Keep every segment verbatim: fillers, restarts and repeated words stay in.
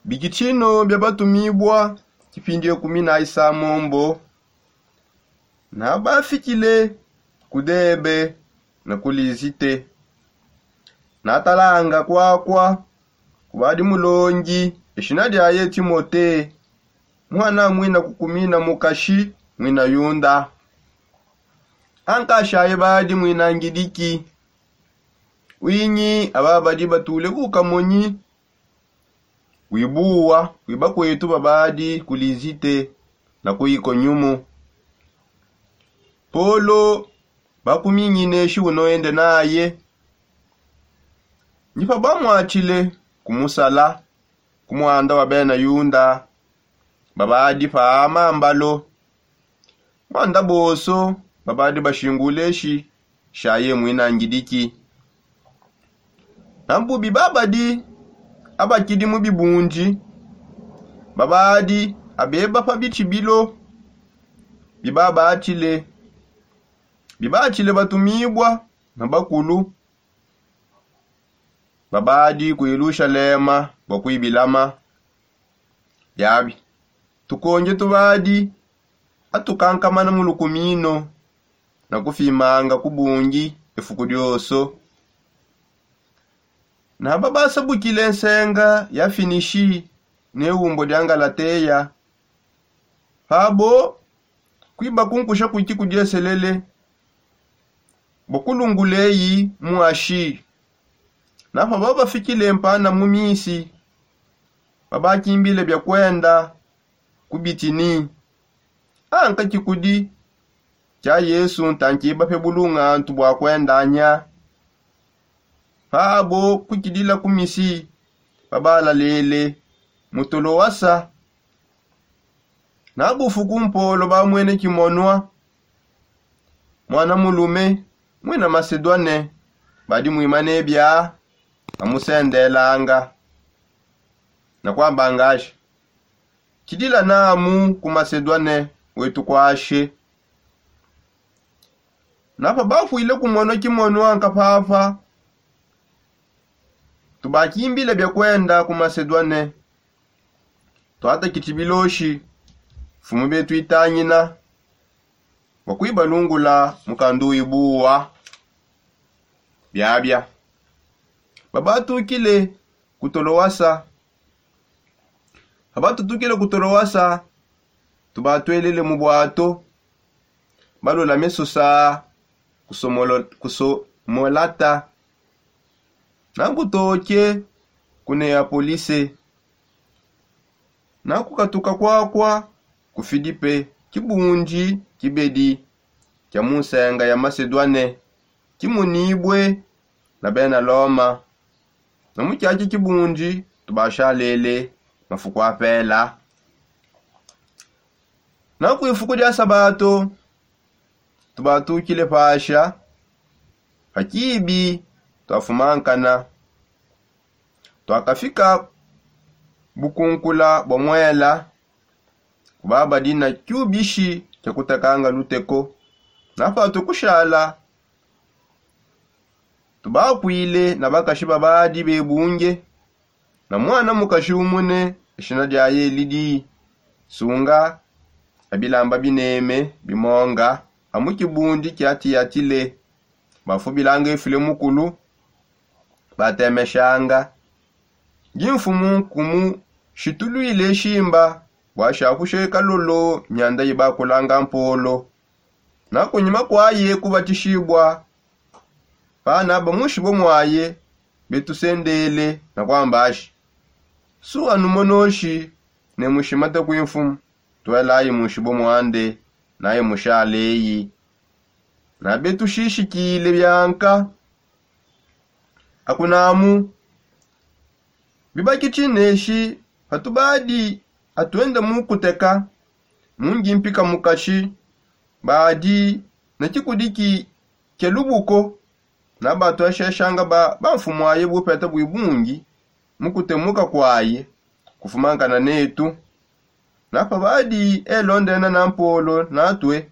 Bikitshino bia batumibua tshipindi ekumi na isamombo. Nabafikile ku Debe ne ku Lizite. Natalanga kuakua kubadi mulongi, eshina diaye Timote, muana muina kukumina mukashi muina Yunda. Ankashaye badi muina Ngidiki. Winyi aba badi batule ku kamonyi wibuwa wi bakwetu babadi ku Lizite na ku Ikonyumu. Polo bakumingineshi unoende naye. Ndi pabamwatshile kumusala ku muanda wa bena Yunda babadi pa mambalo. Muanda bonso babadi bashingule eshi shaye muina Ngidiki. Na bubi babadi abakidi mu bibundi babadi abeba pa bitshibilo bibabatshile bibatshile batumibua na bakulu babadi ku Yelushalema bua kuibilama. Biabi tukonje tubadi atukankamana mu lukumino na kufimanga ku bungi efuku dioso. Naba basabukile nsenga ya Finishi ne umbo dia Ngalateya. Pabo kuiba kunkusha kuiki kudieselele bua kulungula eyi mu Ashi. Na paba bafikile mpanda mu Misi, babakimbile bia kuenda ku Bitini. Anka tshikudi tshia Yesu ntankibape bulungantu bua kuendanya. Pabo kukidila ku Misi, babalalele mu Tolowasa. Na bufuku mpolo bamwene Kimonua, muana mulume muina Masedwane, badi muimane bia amusendelanga na kuambangaje, kidila namu ku Masedwane wetu kuashe. Na pabafuile kumonua Kimonua nkapapa, tubakimbile bia kuenda ku Masedwane. Tuatakiti biloshi mfumu betu itangina bua kuibalungula mukandu uibuwa. Biabia babatukile ku Tolowasa. Pabatutukile ku Tolowasa, tubatuelele mu buato, balulame Susa ku Somolata, na kutoke ku Neapolise, na kukatuka kuakua ku Filipe, kibundi kibedi kia mu nsenga ya Masedwane, kimunibue na bena Loma. Na mu kiaki kibundi tubashalele mafuku apela. Na ku ifuku dia Sabato, tubatukile pasha pa kibi tuafumankana. Tuakafika bukunkula bua muela, kubabadi na kiubishi kia kutakanga luteko. Na patue kushala, tubakuile na bakashi babadi bebunge, na muana mukashi umune, ishina diaye Lidi, sunga a bilamba bineme bimonga a mu kibundi kia Tiyatile. Bafubilanga ifile mukulu, batemeshanga. Ndi mfumu nkumushituluile shimba bua shakushe kalolo mianda ibakulanga mpolo. Na kunyima kuaye kubatishibua, pana bamushibue muaye, betusendele na kuambashi: Su anumonoshi ne mushimate kuimfumu, tuelayi mushibue muande, naye mushaleyi. Na betushishikile bianka akunamu. Bibakitshi neshi patubadi atuenda mu kuteka, mu ngimpika mukashi badi ne kikudiki kia lubuko, na batuasheshanga ba bamfumuaye bupeta bui bungi mu kutemuka kuaye kufumankana netu. Na pabadi elondena na mpolo natue,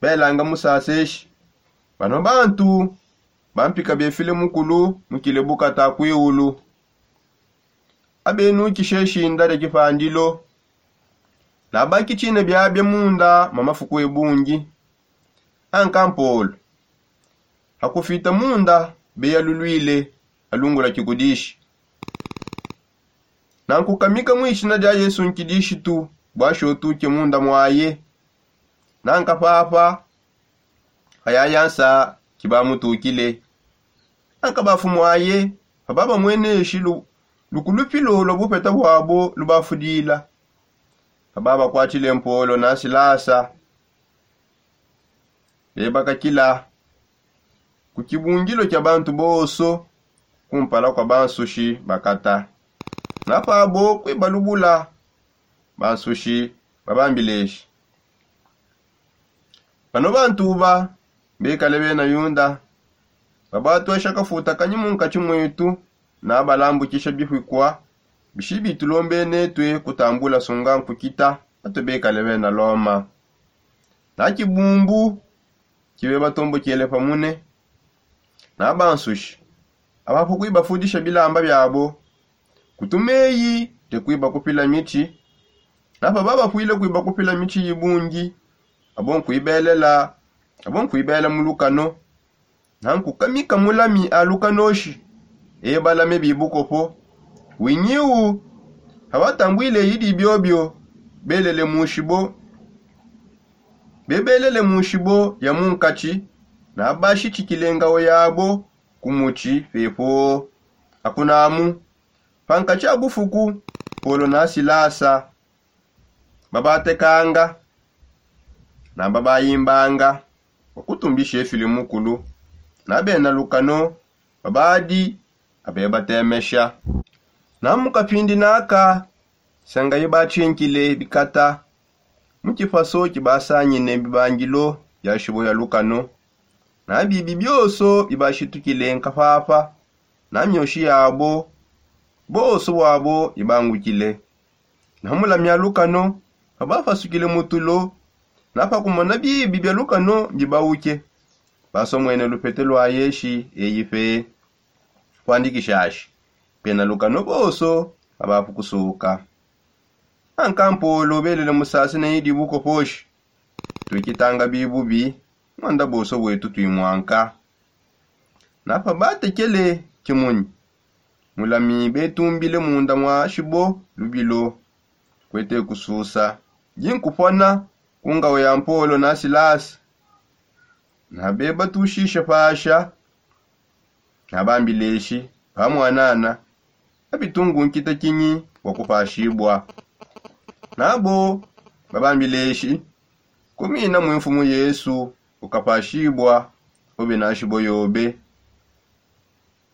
belanga musaseshi. Bano bantu bampika befile mukulu mukile bukata kuiulu. Abenukishe shinda dia kipandilo. Nabakitshine biabia munda mwa mafuku ebungi. Anka mpolo hakufita munda beyalulwile alungula kikudishi. Nankukamika mu ishina dia yesu nkidishitu bwashi otuke munda mwaye. Nanka papa hayayansa kibamutukile. Nanka bafu mwaye pababamweneshi lukulupilo lwa bupeta bwabo lubafudila. Pababakwatile mpolo na silasa bebakakila ku kibungilo kia bantu bonso kumpala kua bansushi bakata. Na pabo kuibalubula bansushi babambileshi. Bano bantu uba bekale bena yuda babatuesha kafuta kanyi munkatshi muetu na balambukisha bipikua bishi bitulombenetue kutambula sunga nkukita. Batue bekale bena loma na kibumbu kibe batombokele pamune. Na bansushi abapu kuibafudisha bilamba biabo kutumeyi te kuibakupila mitshi. Na pababapwile kuibakupila mitshi yibungi abo nkuibelela abo nkuibela mu lukano. Na nkukamika mulami a lukanoshi ebalame bibukopo. Winyiwu abatambwile idi biobio belele mushibo bebelele mu nshibo ya munkatshi na bashitshikile ngawo yabo ku mutshi pepo. Akunamu pankatshi a bufuku polo na silasa babatekanga na babayimbanga bua kutumbisha efile mukulu na bena lukano babadi abebatemesha. Na mu kapindi naka senga ibatshinkile bikata mu tshipaso tshibasangine bibangilo bia nshibo ya lukano na bibi bionso bibashitukile nkapapa na mioshi yabo bonso bwabo ibangukile. Na mulamia lukano babapasukile mutulo na pakumona bibi bia lukano mbibauke basomwene lupete lua yeshi eyi pe kuandikishashi bena lukano bonso babapu kusuka. Anka mpolo belele musase ne idi bukoposhi tuikitanga bibubi. Muanda bonso buetu tuimwanka na pabatekele kimunyi mulami betumbile munda mua shibo lubilo kuete kususa dinkupona ku ngawe ya mpolo na silasi. Na bebatushishe pasha na bambileshi bamwanana abitungu nkita kinyi bua kupashibua. Nabo babambileshi kumina mui mfumu yesu ukapashibua ube na nshibo yobe.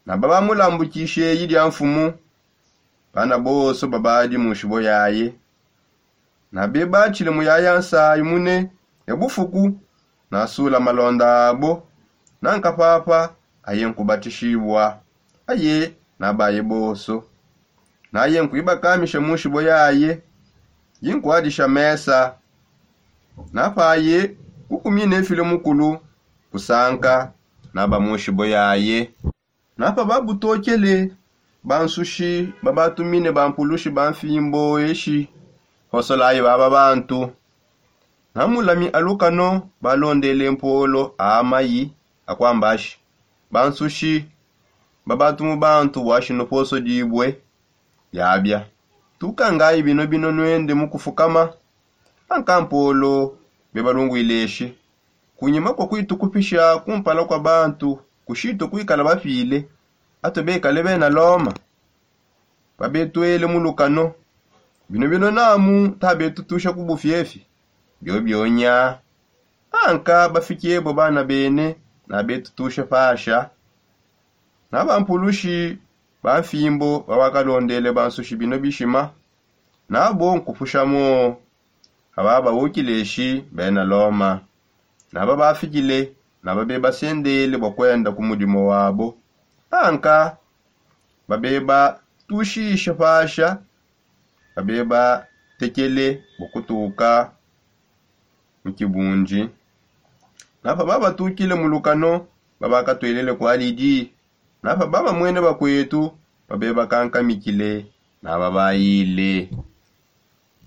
Na babamulambukishe eyi dia mfumu bana bonso babadi mu nshibo yaye. Na bebatshile muyaya nsayi mune ya bufuku nasula malonda abo. Nanka papa aye nkubatishibua aye na baye bonso. Naye nkuibakamisha mu nshibo yaye dinkuadisha mesa. Na paye kukumina efile mukulu kusanka na ba mu nshibo yaye. Na pababutokele bansushi babatumine bampulushi ba mfimbo eshi hosolayi baba bantu. Na mulami alukano balondele mpolo a mayi akuambashi bansushi babatumu bantu bua shino poso dibue diabia tukangayi bino bino nuende mu kufukama. Anka mpolo bebalungwile eshi kunyima kua kuitukupisha kumpala kua bantu kushitue kuikala bapile atue bekale bena loma. Pabetuele mu lukano bino bino namu tabetutusha ku bufiefi biobionya. Anka bafikiebo bana bene na betutusha pasha. Na bampulushi ba mfimbo babakalondele bansushi bino bishima nabo nkupushamo. Aba bawukile eshi bena loma na babafikile na babebasendele bua kuenda ku mudimu wabo. Anka babebatushishe pasha babebatekele bua kutuka mu kibundi. Na pababatukile mu lukano babakatuelele kua lidi na pababamwene bakuetu babebakankamikile Baba bayile.